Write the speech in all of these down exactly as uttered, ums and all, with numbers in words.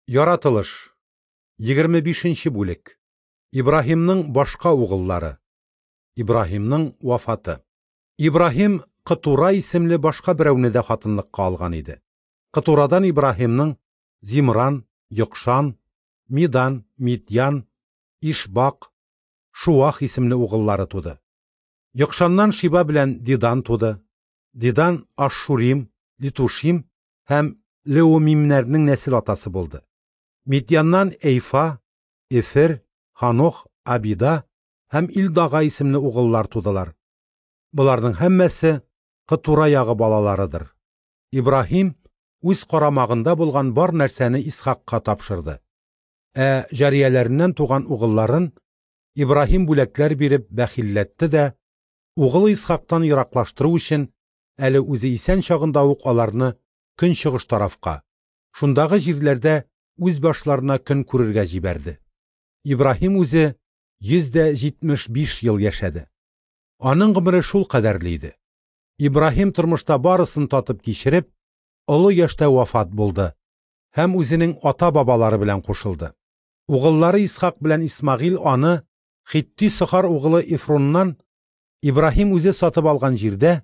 Яратылыш. Егерме бишенче бүлек. Ибраһимның башка угыллары. Ибраһимның вафаты. Ибраһим Кытура исемле башка берәүне дә хатынлыкка алган иде. Кытурадан Ибраһимның Зимран, Йокшан, Мидан, Мидьян, Ишбак, Шуах исемле угыллары туды. Йокшаннан Шиба белән Дидан туды. Дидан Ашшурим, Литушим һәм Леумимнәрнең нәсел атасы булды. Мидьяннан Эйфа, Эфер, Ханох, Абида һәм Илдага исемле угыллар тудылар. Боларның һәммәсе Кытура ягы балаларыдыр. Ибраһим үз карамагында булган бар нәрсәне Исхакка тапшырды. Ә җарияләреннән туган угылларын Ибраһим бүләкләр биреп бәхилләтте дә, угылы Исхактан ераклаштыру өчен әле үзе исән чагында ук аларны көнчыгыш тарафка, шундагы җирләрдә үз башларына көн күрергә җибәрде. Ибраһим үзе йөз дә җитмеш биш ел яшәде. Аның гомере шул кадәрле иде. Ибраһим тормышта барысын татып кичереп, олы яшьтә вафат булды һәм үзенең ата-бабалары белән кушылды. Угыллары Исхак белән Исмагыйль аны Хитти Сохар угылы Эфроннан Ибраһим үзе сатып алган җирдә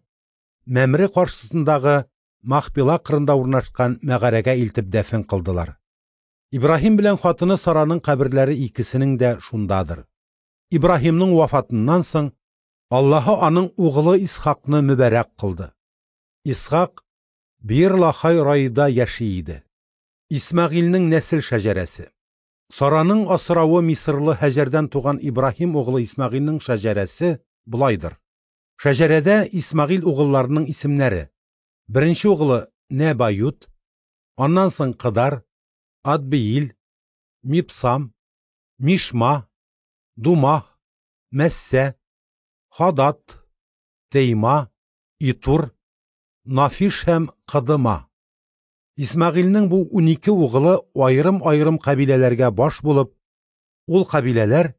Мәмре каршысындагы Махпила кырында урнашкан мәгарәгә илтеп дәфен кылдылар. Ибраһим белән хатыны Сараның каберләре икесенең дә шундадыр. Ибраһимның вафатыннан соң Аллаһы аның угылы Исхакны мөбарәк кылды. Исхак Бир-Лахай Раида яши иде. Исмагыйльнең нәсел шәҗәрәсе. Сараның асравы Мисырлы Һәҗәрдән туган Ибраһим угылы Исмагыйльнең шәҗәрәсе болайдыр. Шәҗәрәдә Исмагыйль угылларының исемнәре: беренче угылы Нәбают, аннан соң Кыдар, Адбиил, Мипсам, Мишма, Думах, Мәссә, Хадат, Тейма, Итур, Нафиш һәм Кыдыма. Исмагыйльнең бу унике угылы аерым-аерым кабиләләргә баш булып, ул кабиләләр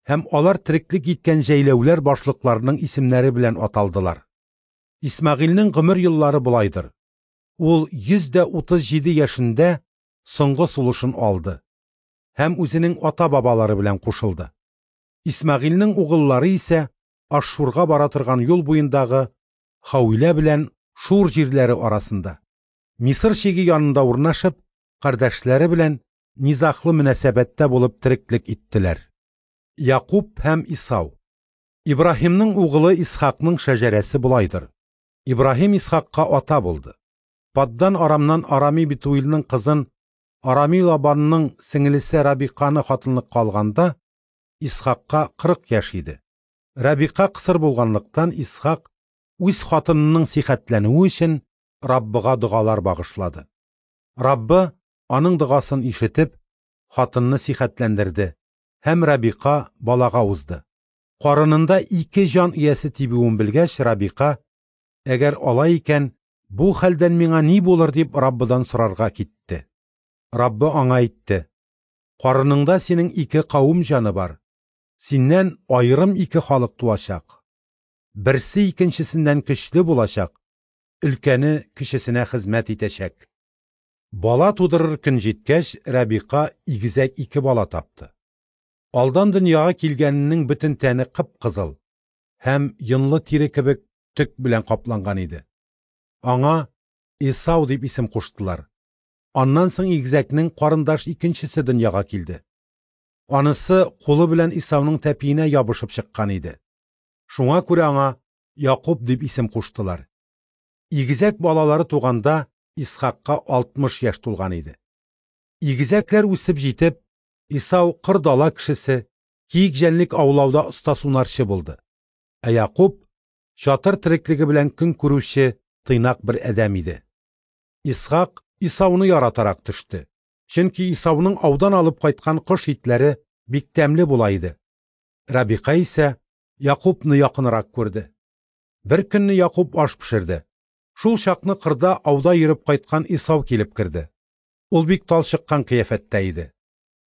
һәм алар тереклек иткән җәйләүләр башлыкларының исемнәре белән аталдылар. Исмагыйльнең гомер еллары болайдыр. Ул йөз дә утыз җиде яшендә соңгы сулышын алды һәм үзенең ата-бабалары белән кушылды. Исмагыйльнең угыллары исә Ашшурга бара торган юл буендагы Хауилә белән Шур җирләре арасында, Мисыр чиге янында урнашып, кардәшләре белән низахлы мөнәсәбәттә булып тереклек иттеләр. Якуб һәм Исау. Ибраһимның угылы Исхакның шәҗәрәсе болайдыр. Ибраһим Исхакка ата булды. Паддан Арамнан Арами Битуилның кызын Арами Лабанның сеңелесе Рабиқаны хатынлыкка алганда Исхакка кырык яшь иде. Рабиқа кысыр булганлыктан Исхак үз хатынының сихәтләнүе өчен Раббыга догалар багышлады. Раббы аның догасын ишетеп, хатынны сихәтләндерде һәм Рабиқа балага узды. Карынында ике җан иясе тибүен белгәч, Рабиқа, әгәр алай икән, бу хәлдән миңа ни булыр дип Раббыдан сорарга китте. Раббы аңа әйтте: карыныңда синең ике кавым җаны бар. Синнән аерым ике халык туачак. Берсе икенчесеннән көчле булачак, өлкәне кечесенә хезмәт итәчәк. Бала тудырыр көн җиткәч, Рабиқа игезәк ике бала тапты. Алдан дөньяга килгәненең бөтен тәне кып-кызыл һәм йонлы тире кебек төк белән капланган иде. Аңа Исау дип исем куштылар. Аннан соң игезәкнең карындаш икенчесе дөньяга килде. Анысы кулы белән Исауның тәпиенә ябышып чыккан иде. Шуңа күрә аңа Якуб дип исем куштылар. Игезәк балалары туганда Исхакка алтмыш яшь тулган иде. Игезәкләр үсеп җитеп, Исау кыр дала кешесе, киек җәнлек аулауда оста сунарчы булды. Ә Якуб чатыр тереклеге белән көн күрүче тыйнак бер адәм иде. Исхак Исауны яратарак төште. Чөнки Исауның аудан алып кайткан кош итләре бик тәмле була иде. Рабиқа исә Якубны якынрак күрде. Бер көнне Якуб аш пешерде. Шул чакны кырда ауда йөреп кайткан Исау килеп керде. Ул бик талчыккан кыяфәттә иде.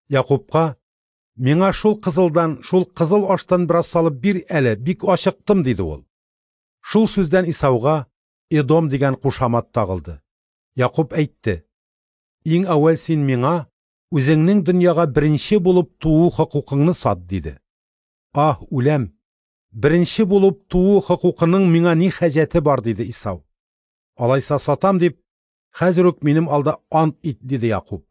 Якубка: "Миңа шул кызылдан, шул кызыл аштан бераз салып бир әле, бик ачыктым", диде ул. Шул сүздән Исауга Эдом дигән кушамат тагылды. Якуб әйтте: "Иң әүвәл син миңа Үзеңнең дөньяга беренче булып туу хокукыңны сат, диде. Аһ, үләм! Беренче булып туу хокукының миңа ни хаҗәте бар, диде Исау. Алайса сатам дип, хәзер үк минем алда ант ит, диде Якуб.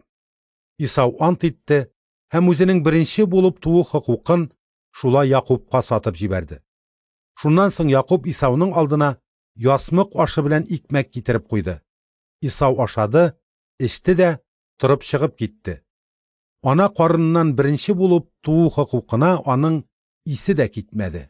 Исау ант итте һәм үзенең беренче булып туу хокукын шулай Якубка сатып җибәрде. Шуннан соң Якуб Исауның алдына ясмык ашы белән икмәк китереп куйды. Исау ашады, эчте дә торып чыгып китте. Ана карыныннан беренче булып туу хокукына аның исе дә китмәде.